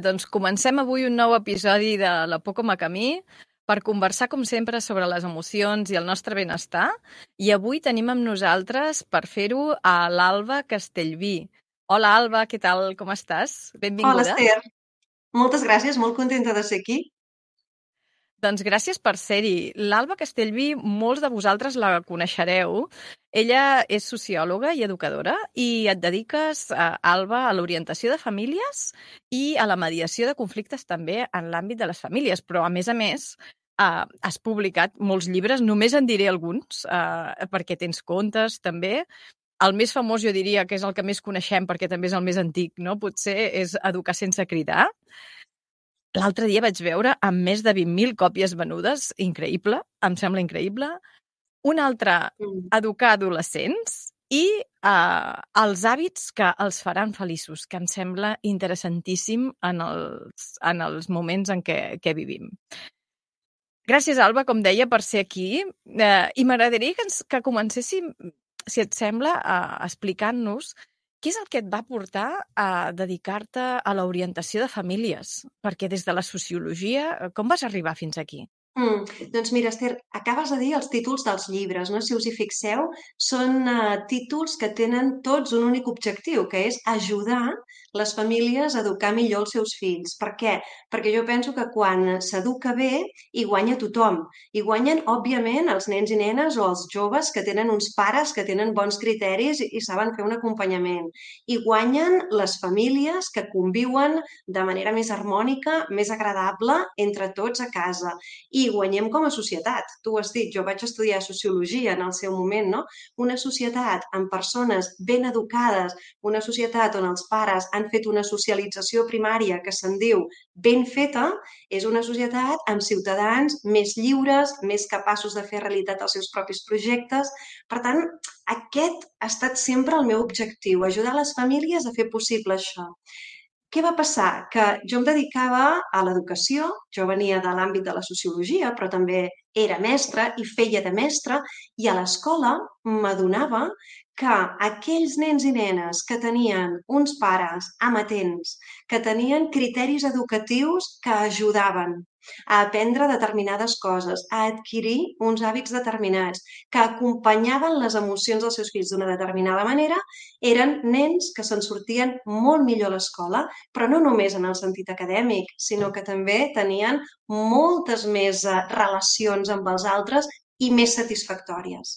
Doncs comencem avui un nou episodi de La por com a camí per conversar, com sempre, sobre les emocions i el nostre benestar. I avui tenim amb nosaltres, per fer-ho, a l'Alba Castellví. Hola, Alba, què tal? Com estàs? Hola, Benvinguda. Esther. Moltes gràcies, molt contenta de ser aquí. Doncs gràcies per ser-hi. L'Alba Castellví, molts de vosaltres la coneixereu. Ella és sociòloga i educadora i et dediques, Alba, a l'orientació de famílies i a la mediació de conflictes també en l'àmbit de les famílies. Però, a més, has publicat molts llibres, només en diré alguns, perquè tens contes també. El més famós, jo diria, que és el que més coneixem perquè també és el més antic, no? Potser és Educar sense cridar. L'altre dia vaig veure amb més de 20.000 còpies venudes, increïble, em sembla increïble. Un altre, Mm. Educar adolescents i els hàbits que els faran feliços, que em sembla interessantíssim en els moments en què vivim. Gràcies, Alba, com deia, per ser aquí. I m'agradaria que comencéssim, si et sembla, explicant-nos què és el que et va portar a dedicar-te a l'orientació de famílies? Perquè des de la sociologia, com vas arribar fins aquí? Doncs mira, Esther, acabes de dir els títols dels llibres, no? Si us hi fixeu, són títols que tenen tots un únic objectiu, que és ajudar les famílies a educar millor els seus fills. Per què? Perquè jo penso que quan s'educa bé hi guanya tothom. Hi guanyen, òbviament, els nens i nenes o els joves que tenen uns pares que tenen bons criteris i saben fer un acompanyament. Hi guanyen les famílies que conviuen de manera més harmònica, més agradable entre tots a casa. I guanyem com a societat. Tu ho has dit, jo vaig estudiar sociologia en el seu moment, no? Una societat amb persones ben educades, una societat on els pares han fet una socialització primària que se'n diu ben feta, és una societat amb ciutadans més lliures, més capaços de fer realitat els seus propis projectes. Per tant, aquest ha estat sempre el meu objectiu, ajudar les famílies a fer possible això. Què va passar? Que jo em dedicava a l'educació, jo venia de l'àmbit de la sociologia, però també era mestra i feia de mestra, i a l'escola m'adonava que aquells nens i nenes que tenien uns pares amatents, que tenien criteris educatius que ajudaven a aprendre determinades coses, a adquirir uns hàbits determinats, que acompanyaven les emocions dels seus fills d'una determinada manera, eren nens que se'n sortien molt millor a l'escola, però no només en el sentit acadèmic, sinó que també tenien moltes més relacions amb els altres i més satisfactòries.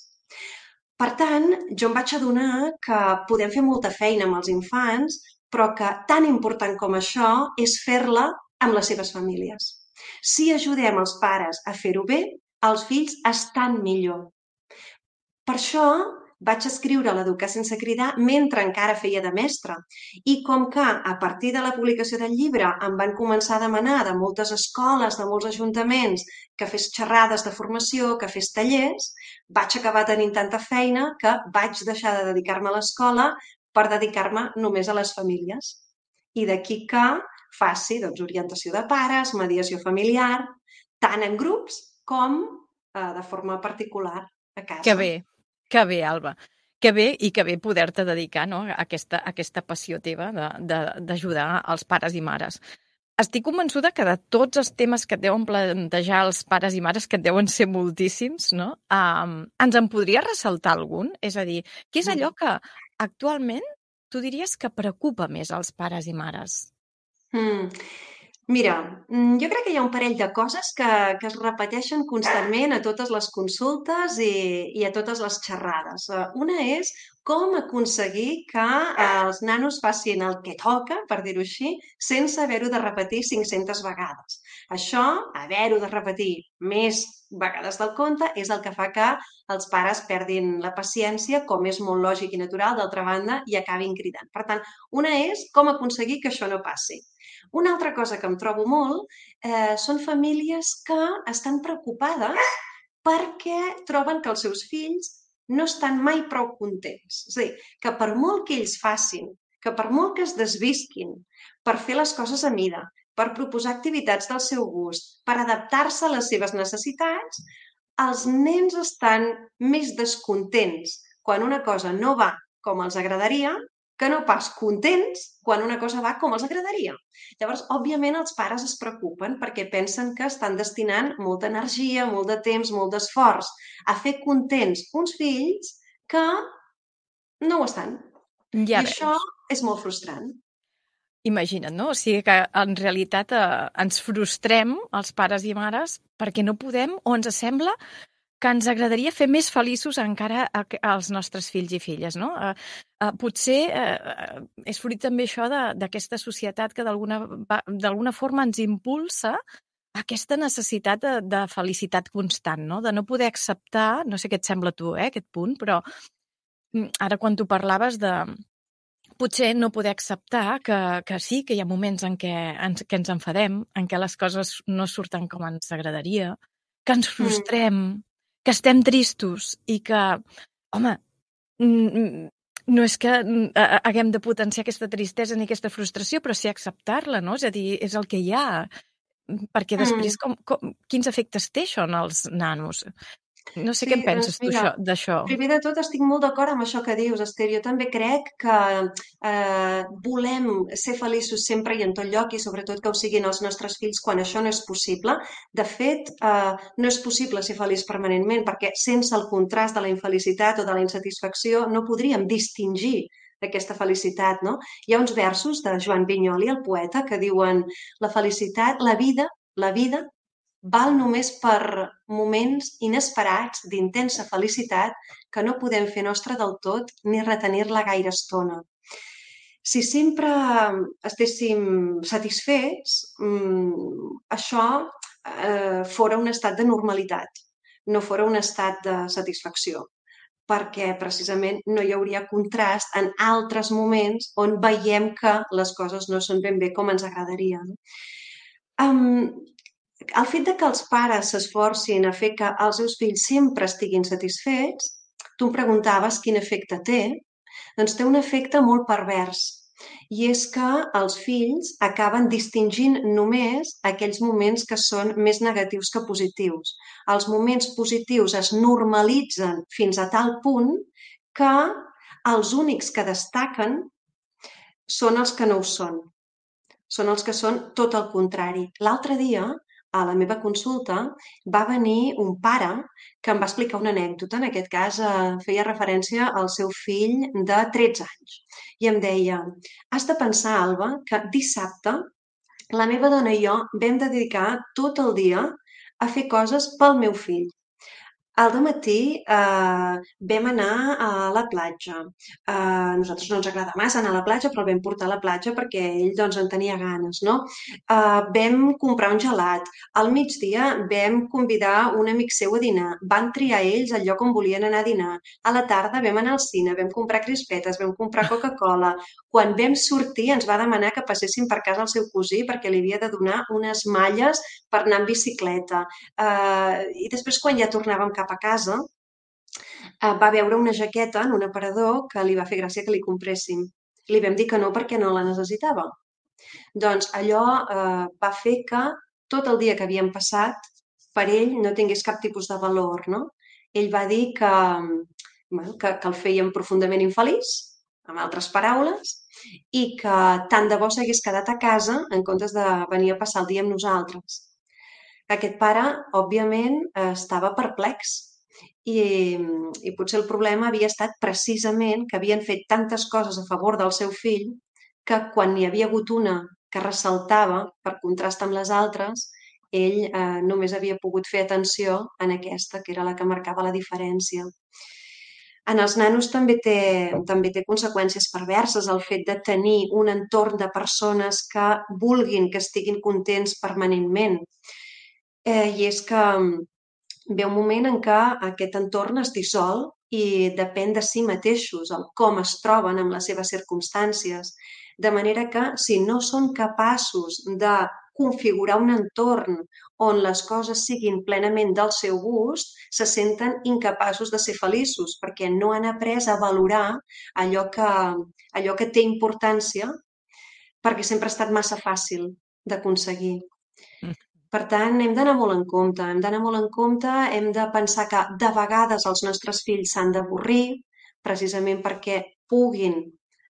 Per tant, jo em vaig adonar que podem fer molta feina amb els infants, però que tan important com això és fer-la amb les seves famílies. Si ajudem els pares a fer-ho bé, els fills estan millor. Per això vaig escriure l'Educar sense cridar mentre encara feia de mestra. I com que a partir de la publicació del llibre em van començar a demanar de moltes escoles, de molts ajuntaments, que fes xerrades de formació, que fes tallers, vaig acabar tenint tanta feina que vaig deixar de dedicar-me a l'escola per dedicar-me només a les famílies. I d'aquí que faci orientació de pares, mediació familiar, tant en grups com de forma particular a casa. Que bé, Alba. Que bé i que bé poder-te dedicar, no, a aquesta passió teva d'ajudar els pares i mares. Estic convençuda que de tots els temes que et deuen plantejar els pares i mares, que et deuen ser moltíssims, no? Ens en podries ressaltar algun? És a dir, què és allò que actualment tu diries que preocupa més als pares i mares? Mm. Mira, jo crec que hi ha un parell de coses que es repeteixen constantment a totes les consultes i a totes les xerrades. Una és com aconseguir que els nanos facin el que toca, per dir-ho així, sense haver-ho de repetir 500 vegades. Això, haver-ho de repetir més vegades del compte, és el que fa que els pares perdin la paciència, com és molt lògic i natural, d'altra banda, i acabin cridant. Per tant, una és com aconseguir que això no passi. Una altra cosa que em trobo molt són famílies que estan preocupades perquè troben que els seus fills no estan mai prou contents. És a dir, que per molt que ells facin, que per molt que es desvisquin per fer les coses a mida, per proposar activitats del seu gust, per adaptar-se a les seves necessitats, els nens estan més descontents quan una cosa no va com els agradaria que no pas contents quan una cosa va com els agradaria. Llavors, òbviament, els pares es preocupen perquè pensen que estan destinant molta energia, molt de temps, molt d'esforç a fer contents uns fills que no ho estan. Ja I això veus. és molt frustrant. Imagina't, no? O sigui que en realitat ens frustrem, els pares i mares, perquè no podem o ens sembla que ens agradaria fer més feliços encara als nostres fills i filles, no? Potser és fruit també això d'aquesta societat que d'alguna forma ens impulsa aquesta necessitat de felicitat constant, no? De no poder acceptar, no sé què et sembla a tu, aquest punt, però ara quan tu parlaves de potser no poder acceptar que sí, que hi ha moments en què ens enfadem, en què les coses no surten com ens agradaria, que ens frustrem, que estem tristos i que, home, no és que haguem de potenciar aquesta tristesa ni aquesta frustració, però sí acceptar-la, no? És a dir, és el que hi ha. Perquè després, quins efectes té això en els nanos? No sé Sí, què en doncs penses tu mira, d'això. primer de tot estic molt d'acord amb això que dius, Esther. Jo també crec que volem ser feliços sempre i en tot lloc i sobretot que ho siguin els nostres fills quan això no és possible. De fet, no és possible ser feliç permanentment perquè sense el contrast de la infelicitat o de la insatisfacció no podríem distingir aquesta felicitat, no? Hi ha uns versos de Joan Vinyoli, el poeta, que diuen la felicitat, la vida val només per moments inesperats d'intensa felicitat que no podem fer nostra del tot ni retenir-la gaire estona. Si sempre estéssim satisfets, això fora un estat de normalitat, no fora un estat de satisfacció, perquè precisament no hi hauria contrast en altres moments on veiem que les coses no són ben bé com ens agradaria. El fet de que els pares s'esforcin a fer que els seus fills sempre estiguin satisfets, tu em preguntaves quin efecte té, doncs té un efecte molt pervers. I és que els fills acaben distingint només aquells moments que són més negatius que positius. Els moments positius es normalitzen fins a tal punt que els únics que destaquen són els que no ho són. Són els que són tot el contrari. L'altre dia, a la meva consulta, va venir un pare que em va explicar una anècdota. En aquest cas, feia referència al seu fill de 13 anys. I em deia, has de pensar, Alba, que dissabte la meva dona i jo vam dedicar tot el dia a fer coses pel meu fill. Al dematí vam anar a la platja. A nosaltres no ens agrada massa anar a la platja, però el vam portar a la platja perquè ell doncs, en tenia ganes. No? Vam comprar un gelat. Al migdia vam convidar un amic seu a dinar. Van triar ells el lloc on volien anar a dinar. A la tarda vam anar al cine, vam comprar crispetes, vam comprar Coca-Cola. Quan vam sortir ens va demanar que passéssim per casa el seu cosí perquè li havia de donar unes malles per anar en bicicleta. I després, quan ja tornàvem cap a casa, va veure una jaqueta en un aparador que li va fer gràcia que li compréssim. Li vam dir que no perquè no la necessitava. Doncs allò va fer que tot el dia que havíem passat per ell no tingués cap tipus de valor, no? Ell va dir que el feien profundament infeliç, amb altres paraules, i que tant de bo s'hagués quedat a casa en comptes de venir a passar el dia amb nosaltres. Aquest pare, òbviament, estava perplex i potser el problema havia estat precisament que havien fet tantes coses a favor del seu fill que quan n'hi havia hagut una que ressaltava per contrast amb les altres, ell només havia pogut fer atenció en aquesta, que era la que marcava la diferència. En els nanos també té conseqüències perverses el fet de tenir un entorn de persones que vulguin que estiguin contents permanentment. I és que ve un moment en què aquest entorn es dissol i depèn de si mateixos, el com es troben amb les seves circumstàncies. De manera que si no són capaços de configurar un entorn on les coses siguin plenament del seu gust, se senten incapaços de ser feliços perquè no han après a valorar allò que té importància perquè sempre ha estat massa fàcil d'aconseguir. Per tant, hem d'anar molt en compte, hem de pensar que de vegades els nostres fills s'han d'avorrir, precisament perquè puguin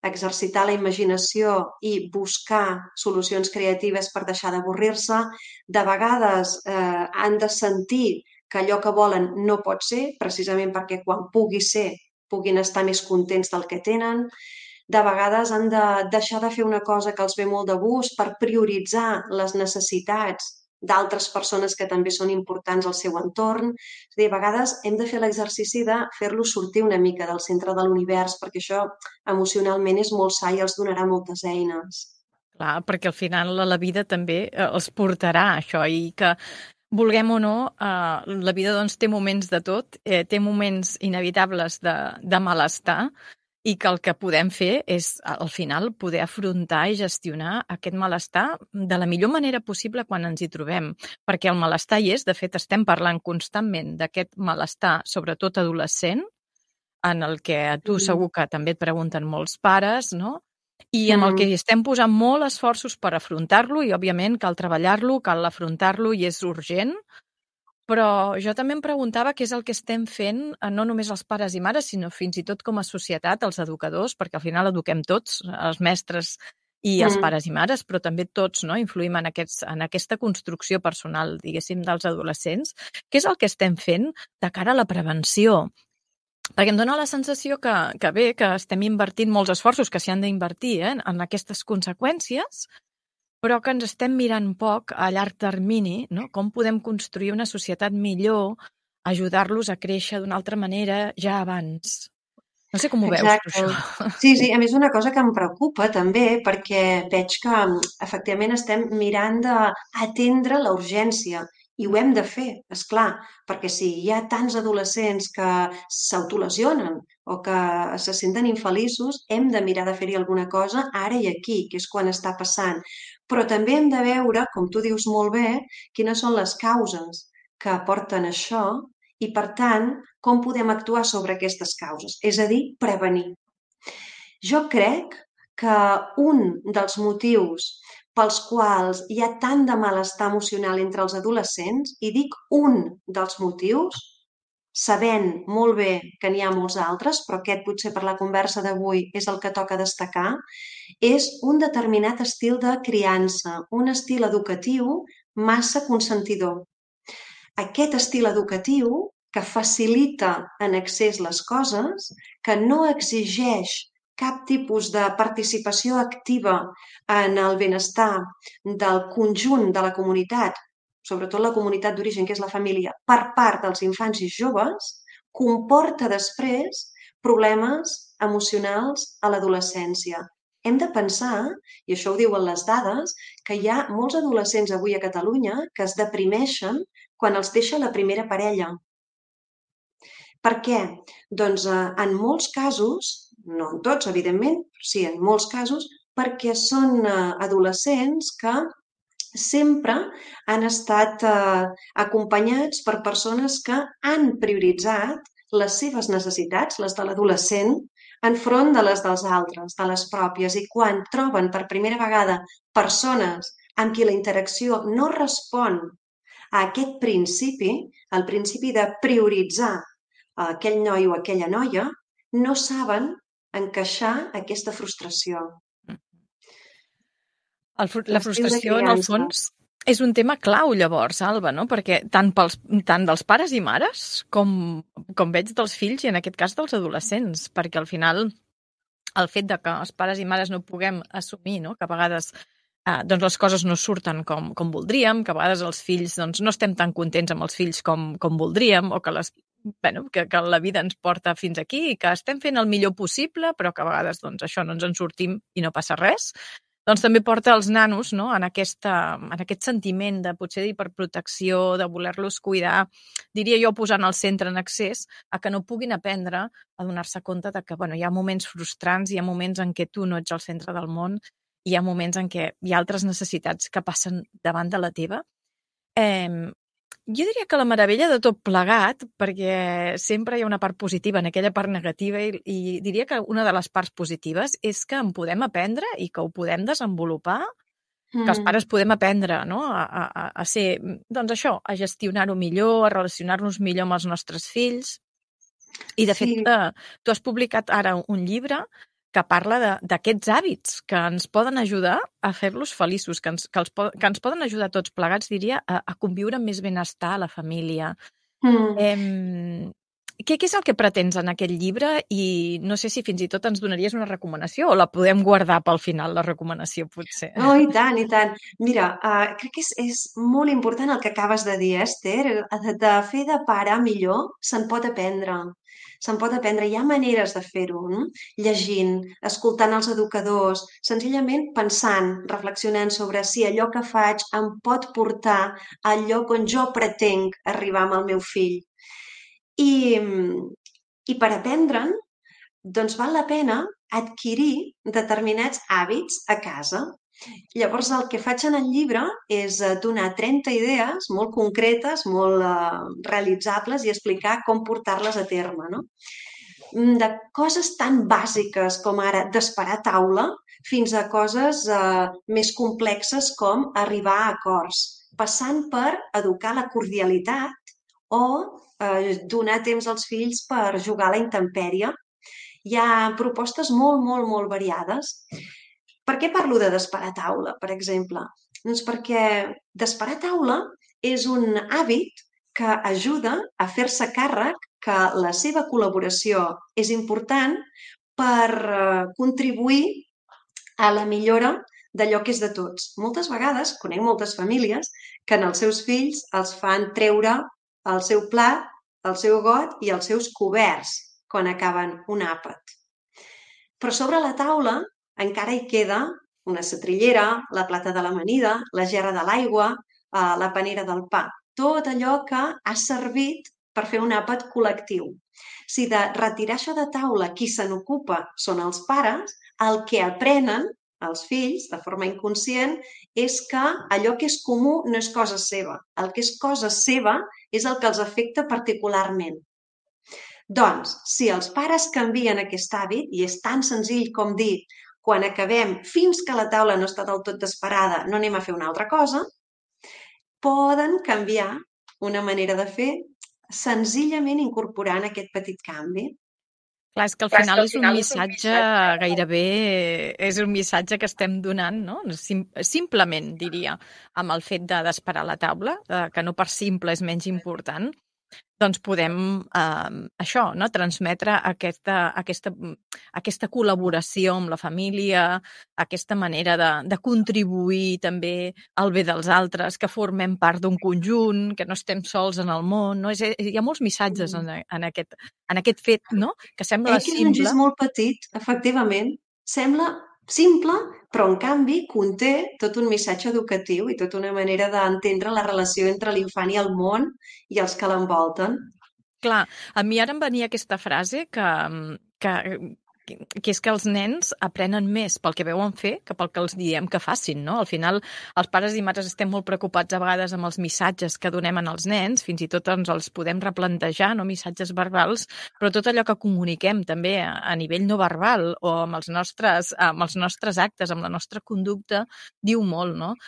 exercitar la imaginació i buscar solucions creatives per deixar d'avorrir-se. De vegades han de sentir que allò que volen no pot ser, precisament perquè quan pugui ser puguin estar més contents del que tenen. De vegades han de deixar de fer una cosa que els ve molt de gust per prioritzar les necessitats d'altres persones que també són importants al seu entorn. És a dir, a vegades hem de fer l'exercici de fer-los sortir una mica del centre de l'univers, perquè això emocionalment és molt sa i els donarà moltes eines. Clar, perquè al final la vida també els portarà a això i que vulguem o no, la vida doncs, té moments de tot, té moments inevitables de malestar i que el que podem fer és, al final, poder afrontar i gestionar aquest malestar de la millor manera possible quan ens hi trobem. Perquè el malestar hi és, de fet, estem parlant constantment d'aquest malestar, sobretot adolescent, en el que a tu segur que també et pregunten molts pares, no? I en el que estem posant molt esforços per afrontar-lo i, òbviament, cal treballar-lo, cal afrontar-lo i és urgent. Però jo també em preguntava què és el que estem fent, no només els pares i mares, sinó fins i tot com a societat, els educadors, perquè al final eduquem tots, els mestres i els pares i mares, però també tots, no? Influïm en aquesta construcció personal, diguéssim, dels adolescents. Què és el que estem fent de cara a la prevenció? Perquè em dóna la sensació que bé, que estem invertint molts esforços que s'hi han d'invertir en aquestes conseqüències, però que ens estem mirant poc a llarg termini, no? Com podem construir una societat millor, ajudar-los a créixer d'una altra manera ja abans. No sé com ho veus, tu, això. Sí, a més una cosa que em preocupa també, perquè veig que efectivament estem mirant d'atendre la urgència i ho hem de fer, és clar, perquè si hi ha tants adolescents que s'autolesionen o que se senten infeliços, hem de mirar de fer-hi alguna cosa ara i aquí, que és quan està passant. Però també hem de veure, com tu dius molt bé, quines són les causes que porten això i, per tant, com podem actuar sobre aquestes causes, és a dir, prevenir. Jo crec que un dels motius pels quals hi ha tant de malestar emocional entre els adolescents, i dic un dels motius, sabent molt bé que n'hi ha molts altres, però aquest potser per la conversa d'avui és el que toca destacar, és un determinat estil de criança, un estil educatiu massa consentidor. Aquest estil educatiu que facilita en excés les coses, que no exigeix cap tipus de participació activa en el benestar del conjunt de la comunitat, sobretot la comunitat d'origen, que és la família, per part dels infants i joves, comporta després problemes emocionals a l'adolescència. Hem de pensar, i això ho diuen les dades, que hi ha molts adolescents avui a Catalunya que es deprimeixen quan els deixa la primera parella. Per què? Doncs en molts casos, no en tots, evidentment, sí, en molts casos, perquè són adolescents que sempre han estat acompanyats per persones que han prioritzat les seves necessitats, les de l'adolescent, enfront de les dels altres, de les pròpies. I quan troben per primera vegada persones amb qui la interacció no respon a aquest principi, el principi de prioritzar aquell noi o aquella noia, no saben encaixar aquesta frustració. La frustració, en el fons, és un tema clau, llavors, Alba, no? Perquè tant dels pares i mares com veig dels fills i, en aquest cas, dels adolescents, perquè al final el fet de que els pares i mares no puguem assumir, no? Que a vegades doncs les coses no surten com voldríem, que a vegades els fills doncs, no estem tan contents amb els fills com voldríem, o que que la vida ens porta fins aquí i que estem fent el millor possible, però que a vegades doncs, això no ens en sortim i no passa res, doncs també porta els nanos, no? en aquest sentiment de potser d'hiperprotecció, de voler-los cuidar, diria jo posant al centre en excés, a que no puguin aprendre a donar-se compte de que hi ha moments frustrants, hi ha moments en què tu no ets al centre del món, hi ha moments en què hi ha altres necessitats que passen davant de la teva. Jo diria que la meravella de tot plegat, perquè sempre hi ha una part positiva en aquella part negativa, i diria que una de les parts positives és que en podem aprendre i que ho podem desenvolupar, que els pares podem aprendre, no? a ser, doncs això, a gestionar-ho millor, a relacionar-nos millor amb els nostres fills. I de fet, tu has publicat ara un llibre que parla d'aquests hàbits que ens poden ajudar a fer-los feliços, que ens poden ajudar tots plegats, diria, a conviure amb més benestar a la família. Què és el que pretens en aquest llibre? I no sé si fins i tot ens donaries una recomanació o la podem guardar pel final, la recomanació, potser. Oh, i tant, i tant. Mira, crec que és molt important el que acabes de dir, Esther. De fer de pare millor se'n pot aprendre. Se'n pot aprendre. Hi ha maneres de fer-ho, no? Llegint, escoltant els educadors, senzillament pensant, reflexionant sobre si allò que faig em pot portar al lloc on jo pretenc arribar amb el meu fill. I per aprendre'n, doncs val la pena adquirir determinats hàbits a casa. Llavors, el que faig en el llibre és donar 30 idees molt concretes, molt realitzables i explicar com portar-les a terme, no? De coses tan bàsiques com ara d'esperar a taula fins a coses més complexes com arribar a acords, passant per educar la cordialitat o donar temps als fills per jugar a la intempèrie. Hi ha propostes molt, molt, molt variades. Per què parlo de desperar a taula, per exemple? Doncs perquè desperar a taula és un hàbit que ajuda a fer-se càrrec que la seva col·laboració és important per contribuir a la millora d'allò que és de tots. Moltes vegades conec moltes famílies que en els seus fills els fan treure el seu plat, el seu got i els seus coberts quan acaben un àpat. Però sobre la taula encara hi queda una setrillera, la plata de l'amanida, la gerra de l'aigua, la panera del pa. Tot allò que ha servit per fer un àpat col·lectiu. Si de retirar això de taula qui se n'ocupa són els pares, el que aprenen els fills, de forma inconscient, és que allò que és comú no és cosa seva. El que és cosa seva és el que els afecta particularment. Doncs, si els pares canvien aquest hàbit, i és tan senzill com dir quan acabem, fins que la taula no està del tot desparada, no anem a fer una altra cosa, poden canviar una manera de fer senzillament incorporant aquest petit canvi. Clar, és que al final és un missatge gairebé, és un missatge que estem donant, no? Simplement, diria, amb el fet d'esperar la taula, que no per simple és menys important, doncs podem això, no? Transmetre aquesta col·laboració amb la família, aquesta manera de contribuir també al bé dels altres, que formem part d'un conjunt, que no estem sols en el món. No? Hi ha molts missatges en aquest fet, no? Que sembla que és un gest simple. molt petit, efectivament. Sembla simple, però en canvi conté tot un missatge educatiu i tota una manera d'entendre la relació entre l'infant i el món i els que l'envolten. Clar, a mi ara em venia aquesta frase que és que els nens aprenen més pel que veuen fer que pel que els diem que facin, no? Al final, els pares i mares estem molt preocupats a vegades amb els missatges que donem als nens, fins i tot ens els podem replantejar, no? Missatges verbals, però tot allò que comuniquem també a nivell no verbal o amb els nostres actes, amb la nostra conducta, diu molt, no?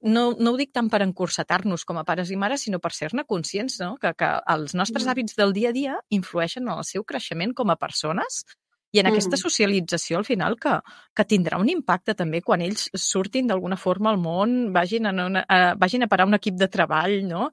No ho dic tant per encursetar-nos com a pares i mares, sinó per ser-ne conscients, no? Que els nostres hàbits del dia a dia influeixen en el seu creixement com a persones i en aquesta socialització, al final, que tindrà un impacte també quan ells surtin d'alguna forma al món, vagin a parar un equip de treball, no?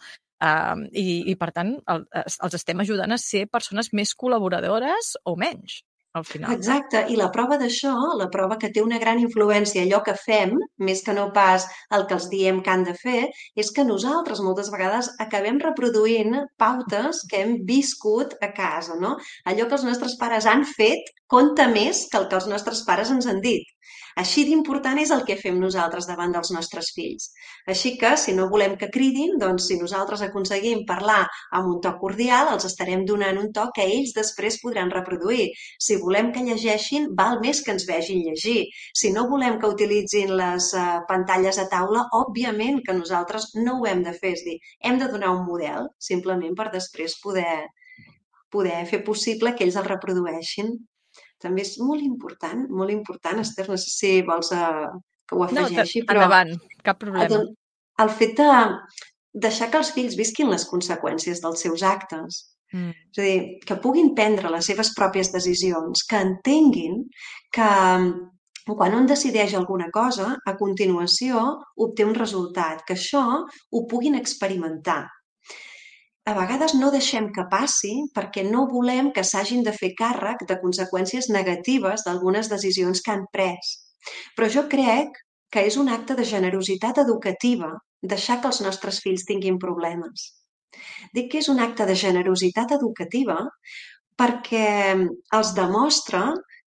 I per tant, els estem ajudant a ser persones més col·laboradores o menys, al final. Exacte, i la prova d'això, la prova que té una gran influència allò que fem, més que no pas el que els diem que han de fer, és que nosaltres moltes vegades acabem reproduint pautes que hem viscut a casa, no? Allò que els nostres pares han fet compta més que el que els nostres pares ens han dit. Així d'important és el que fem nosaltres davant dels nostres fills. Així que, si no volem que cridin, doncs si nosaltres aconseguim parlar amb un to cordial, els estarem donant un to que ells després podran reproduir. Si volem que llegeixin, val més que ens vegin llegir. Si no volem que utilitzin les pantalles a taula, òbviament que nosaltres no ho hem de fer. És dir, hem de donar un model, simplement per després poder fer possible que ells el reprodueixin. També és molt important, Esther, no sé si vols que ho afegeixi, però endavant, cap problema. El fet de deixar que els fills visquin les conseqüències dels seus actes. Mm. És a dir, que puguin prendre les seves pròpies decisions, que entenguin que quan un decideix alguna cosa, a continuació obté un resultat, que això ho puguin experimentar. A vegades no deixem que passi perquè no volem que s'hagin de fer càrrec de conseqüències negatives d'algunes decisions que han pres. Però jo crec que és un acte de generositat educativa deixar que els nostres fills tinguin problemes. Dic que és un acte de generositat educativa perquè els demostra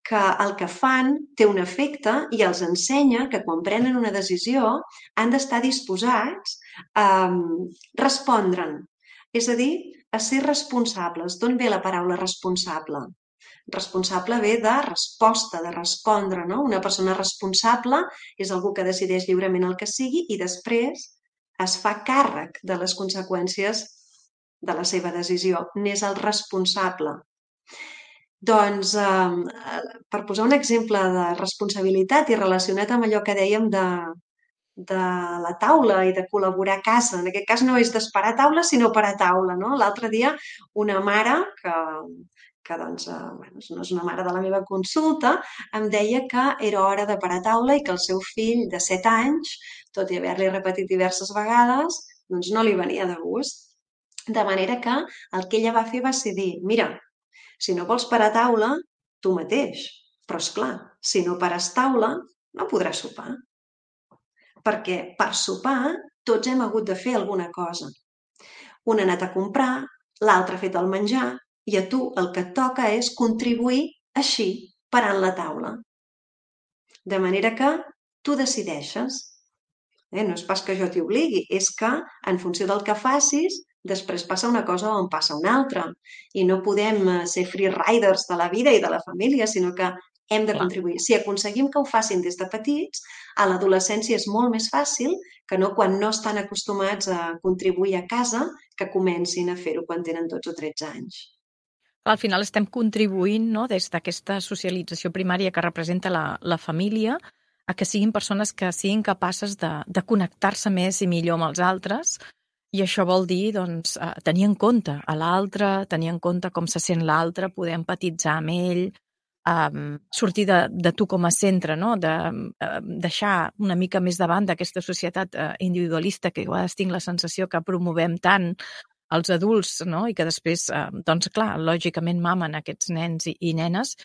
que el que fan té un efecte i els ensenya que quan prenen una decisió han d'estar disposats a respondre'n. És a dir, a ser responsables. D'on ve la paraula responsable? Responsable ve de resposta, de respondre, no? Una persona responsable és algú que decideix lliurement el que sigui i després es fa càrrec de les conseqüències de la seva decisió. N'és el responsable. Doncs, per posar un exemple de responsabilitat i relacionat amb allò que dèiem de la taula i de col·laborar a casa. En aquest cas no és d'esperar a taula, sinó per a taula, no? L'altre dia una mare que doncs, bueno, no és una mare de la meva consulta, em deia que era hora de parar a taula i que el seu fill de 7 anys, tot i haver-li repetit diverses vegades, doncs no li venia de gust. De manera que el que ella va fer va ser dir, mira, si no vols parar a taula, tu mateix. Però, és clar, si no pares taula, no podràs sopar. Perquè per sopar tots hem hagut de fer alguna cosa. Un ha anat a comprar, l'altre ha fet el menjar, i a tu el que et toca és contribuir així, parant la taula. De manera que tu decideixes. No és pas que jo t'hi obligui, és que en funció del que facis, després passa una cosa o en passa una altra. I no podem ser free riders de la vida i de la família, sinó que hem de Clar. contribuir. Si aconseguim que ho facin des de petits, a l'adolescència és molt més fàcil que no quan no estan acostumats a contribuir a casa, que comencin a fer-ho quan tenen 12 o 13 anys. Al final estem contribuint, no, des d'aquesta socialització primària que representa la família, a que siguin persones que siguin capaces de connectar-se més i millor amb els altres, i això vol dir doncs, tenir en compte a l'altre, tenir en compte com se sent l'altre, poder empatitzar amb ell, sortir de tu com a centre, no? De deixar una mica més davant d'aquesta societat individualista que a vegades tinc la sensació que promovem tant els adults, no? I que després, doncs clar, lògicament mamen aquests nens i nenes.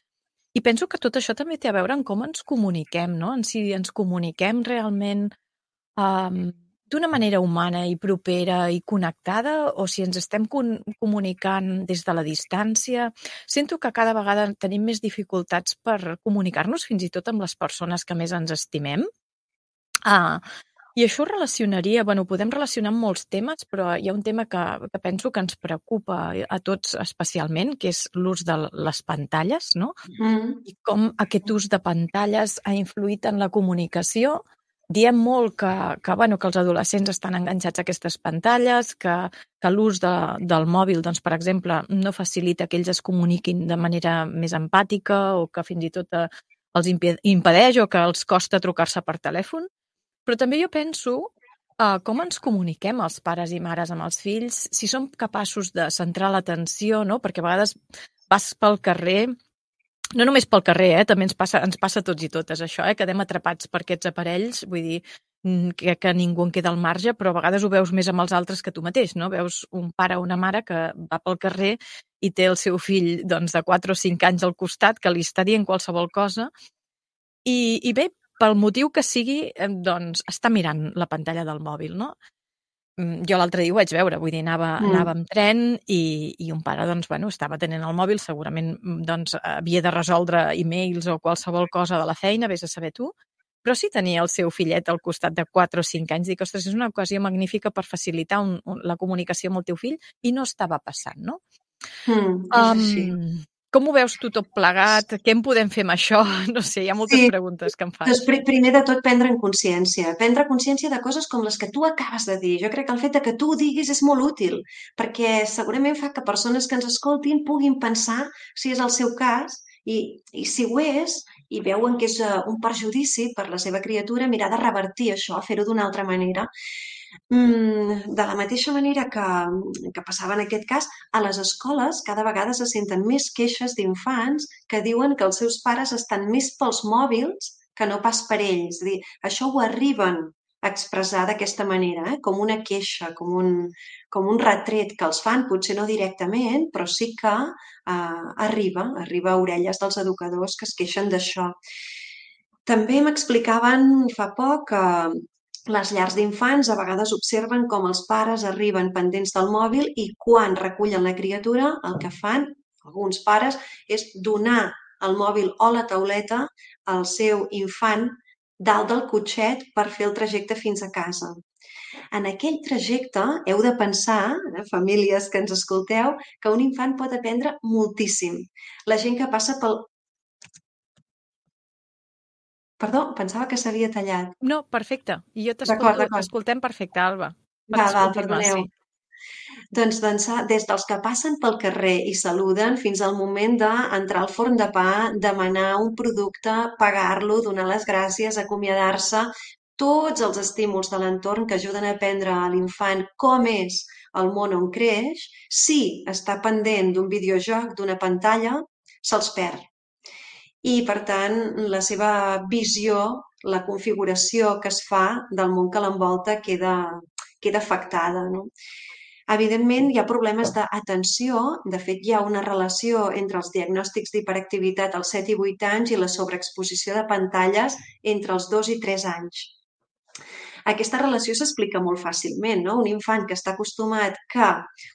I penso que tot això també té a veure amb com ens comuniquem, no? En si ens comuniquem realment d'una manera humana i propera i connectada, o si ens estem comunicant des de la distància. Sento que cada vegada tenim més dificultats per comunicar-nos fins i tot amb les persones que més ens estimem. I això ho relacionaria, bueno, ho podem relacionar amb molts temes, però hi ha un tema que penso que ens preocupa a tots especialment, que és l'ús de les pantalles, no? I com aquest ús de pantalles ha influït en la comunicació. Diem molt que els adolescents estan enganxats a aquestes pantalles, que l'ús del mòbil, doncs, per exemple, no facilita que ells es comuniquin de manera més empàtica o que fins i tot els impedeix o que els costa trucar-se per telèfon. Però també jo penso com ens comuniquem els pares i mares amb els fills, si som capaços de centrar l'atenció, no? Perquè a vegades vas pel carrer, no només pel carrer, també ens passa a tots i totes això, quedem atrapats per aquests aparells, vull dir que ningú en queda al marge, però a vegades ho veus més amb els altres que tu mateix, no? Veus un pare o una mare que va pel carrer i té el seu fill doncs, de 4 o 5 anys al costat que li està dient qualsevol cosa i bé, pel motiu que sigui, doncs està mirant la pantalla del mòbil, no? Jo l'altre dia ho vaig veure, vull dir, anava amb tren i un pare, doncs, bueno, estava tenint el mòbil, segurament doncs, havia de resoldre e-mails o qualsevol cosa de la feina, vés a saber tu, però sí tenia el seu fillet al costat de 4 o 5 anys, dic, ostres, és una ocasió magnífica per facilitar la comunicació amb el teu fill i no estava passant, no? És així. Com ho veus tu tot plegat? Què en podem fer amb això? No sé, hi ha moltes preguntes que em faig. Doncs primer de tot prendre consciència de coses com les que tu acabes de dir. Jo crec que el fet de que tu ho diguis és molt útil, perquè segurament fa que persones que ens escoltin puguin pensar si és el seu cas i si ho és, i veuen que és un perjudici per la seva criatura, mirar de revertir això, fer-ho d'una altra manera. De la mateixa manera que passava en aquest cas, a les escoles cada vegada se senten més queixes d'infants que diuen que els seus pares estan més pels mòbils que no pas per ells. És a dir, això ho arriben a expressar d'aquesta manera, com una queixa, com un retret que els fan, potser no directament, però sí que arriba a orelles dels educadors que es queixen d'això. També m'explicaven fa poc que les llars d'infants a vegades observen com els pares arriben pendents del mòbil i quan recullen la criatura el que fan, alguns pares, és donar el mòbil o la tauleta al seu infant dalt del cotxet per fer el trajecte fins a casa. En aquell trajecte heu de pensar, famílies que ens escolteu, que un infant pot aprendre moltíssim. La gent que passa pel... Perdó, pensava que s'havia tallat. No, perfecte. I jo D'acord, t'escolto, d'acord. t'escoltem perfecte, Alba. Pots Val, continuar, perdoneu. sí. Doncs des dels que passen pel carrer i saluden fins al moment d'entrar al forn de pa, demanar un producte, pagar-lo, donar les gràcies, acomiadar-se, tots els estímuls de l'entorn que ajuden a aprendre a l'infant com és el món on creix, si està pendent d'un videojoc, d'una pantalla, se'ls perd. I, per tant, la seva visió, la configuració que es fa del món que l'envolta queda afectada, no? Evidentment, hi ha problemes d'atenció. De fet, hi ha una relació entre els diagnòstics d'hiperactivitat als 7 i 8 anys i la sobreexposició de pantalles entre els 2 i 3 anys. Aquesta relació s'explica molt fàcilment, no? Un infant que està acostumat que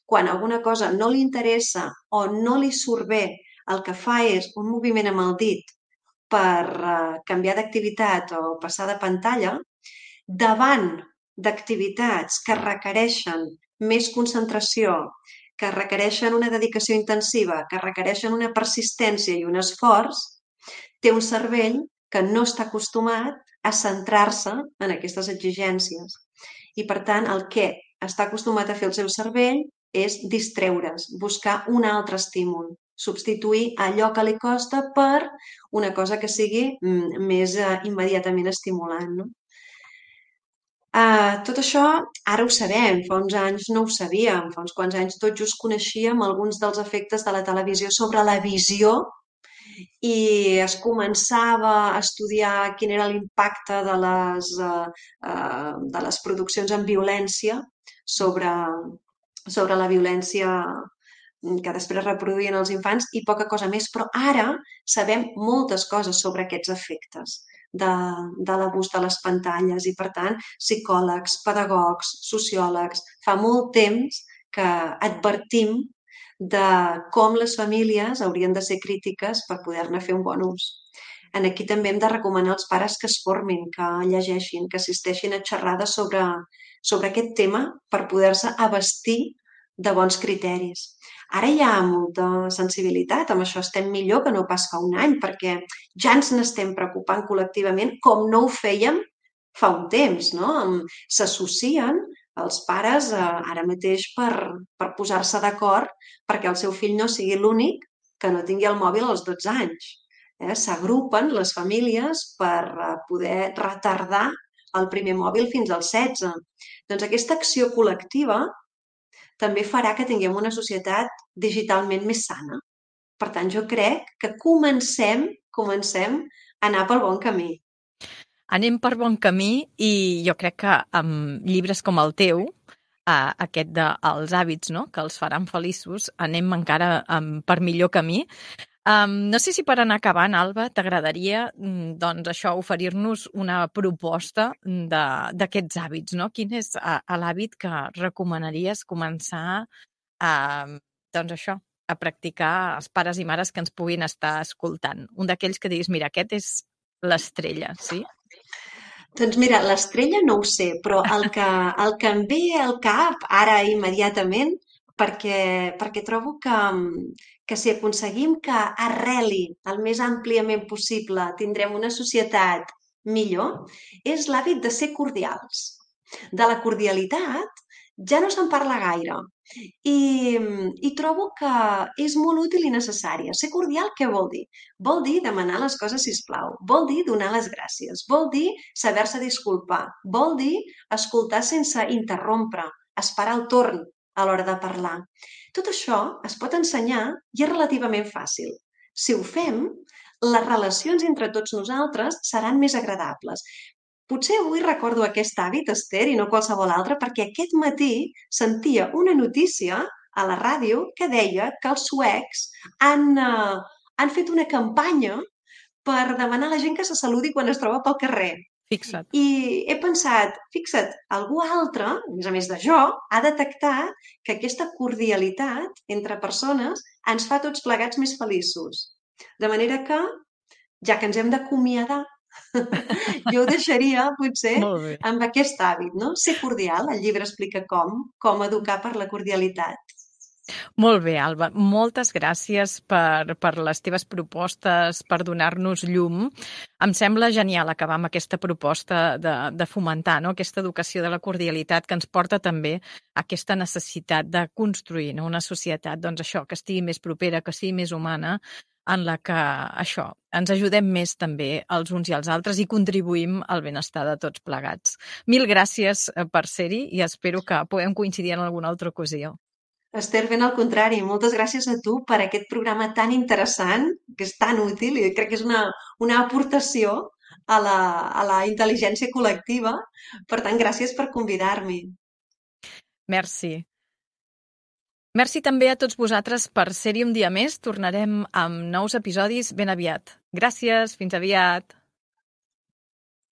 quan alguna cosa no li interessa o no li surt bé, el que fa és un moviment amb el dit per canviar d'activitat o passar de pantalla, davant d'activitats que requereixen més concentració, que requereixen una dedicació intensiva, que requereixen una persistència i un esforç, té un cervell que no està acostumat a centrar-se en aquestes exigències. I, per tant, el que està acostumat a fer el seu cervell és distreure's, buscar un altre estímul, substituir allò que li costa per una cosa que sigui més immediatament estimulant, no? Tot això ara ho sabem, fa uns anys no ho sabíem, fa uns quants anys tot just coneixíem alguns dels efectes de la televisió sobre la visió i es començava a estudiar quin era l'impacte de les produccions amb violència sobre, sobre la violència que després reproduïen els infants i poca cosa més, però ara sabem moltes coses sobre aquests efectes de l'abús de les pantalles i, per tant, psicòlegs, pedagogs, sociòlegs, fa molt temps que advertim de com les famílies haurien de ser crítiques per poder-ne fer un bon ús. En aquí també hem de recomanar als pares que es formin, que llegeixin, que assisteixin a xerrades sobre aquest tema per poder-se abastir de bons criteris. Ara hi ha molta sensibilitat, amb això estem millor que no pas fa un any, perquè ja ens n'estem preocupant col·lectivament com no ho fèiem fa un temps, no? S'associen els pares ara mateix per posar-se d'acord perquè el seu fill no sigui l'únic que no tingui el mòbil als 12 anys. S'agrupen les famílies per poder retardar el primer mòbil fins als 16. Doncs aquesta acció col·lectiva també farà que tinguem una societat digitalment més sana. Per tant, jo crec que comencem a anar pel bon camí. Anem per bon camí i jo crec que amb llibres com el teu, aquest de Els hàbits, no?, que els faran feliços, anem encara per millor camí. No sé si per anar acabant, Alba, t'agradaria doncs això, oferir-nos una proposta d'aquests hàbits, no? Quin és l'hàbit que recomanaries començar doncs això, a practicar els pares i mares que ens puguin estar escoltant? Un d'aquells que diguis, mira, aquest és l'estrella, sí? Doncs mira, l'estrella no ho sé, però el que em ve al cap ara immediatament, perquè trobo que si aconseguim que arreli el més àmpliament possible, tindrem una societat millor, és l'hàbit de ser cordials. De la cordialitat ja no se'n parla gaire. I trobo que és molt útil i necessària. Ser cordial, què vol dir? Vol dir demanar les coses, sisplau. Vol dir donar les gràcies. Vol dir saber-se disculpar. Vol dir escoltar sense interrompre, esperar el torn a l'hora de parlar. Tot això es pot ensenyar i és relativament fàcil. Si ho fem, les relacions entre tots nosaltres seran més agradables. Potser avui recordo aquest hàbit, Esther, i no qualsevol altre, perquè aquest matí sentia una notícia a la ràdio que deia que els suecs han fet una campanya per demanar a la gent que se saludi quan es troba pel carrer. Fixa't. I he pensat, fixa't, algú altre, a més de jo, ha detectat que aquesta cordialitat entre persones ens fa tots plegats més feliços. De manera que, ja que ens hem d'acomiadar, jo ho deixaria, potser, Molt bé. amb aquest hàbit, no? Ser cordial, el llibre explica com educar per la cordialitat. Molt bé, Alba. Moltes gràcies per les teves propostes, per donar-nos llum. Em sembla genial acabar amb aquesta proposta de fomentar, no?, aquesta educació de la cordialitat que ens porta també a aquesta necessitat de construir, no?, una societat, doncs això, que estigui més propera, que sigui més humana, en la que això, ens ajudem més també els uns i els altres i contribuïm al benestar de tots plegats. Mil gràcies per ser-hi i espero que puguem coincidir en alguna altra ocasió. Esther, ben al contrari, moltes gràcies a tu per aquest programa tan interessant, que és tan útil i crec que és una aportació a la intel·ligència col·lectiva. Per tant, gràcies per convidar-m'hi. Merci. Merci també a tots vosaltres per ser-hi un dia més. Tornarem amb nous episodis ben aviat. Gràcies, fins aviat.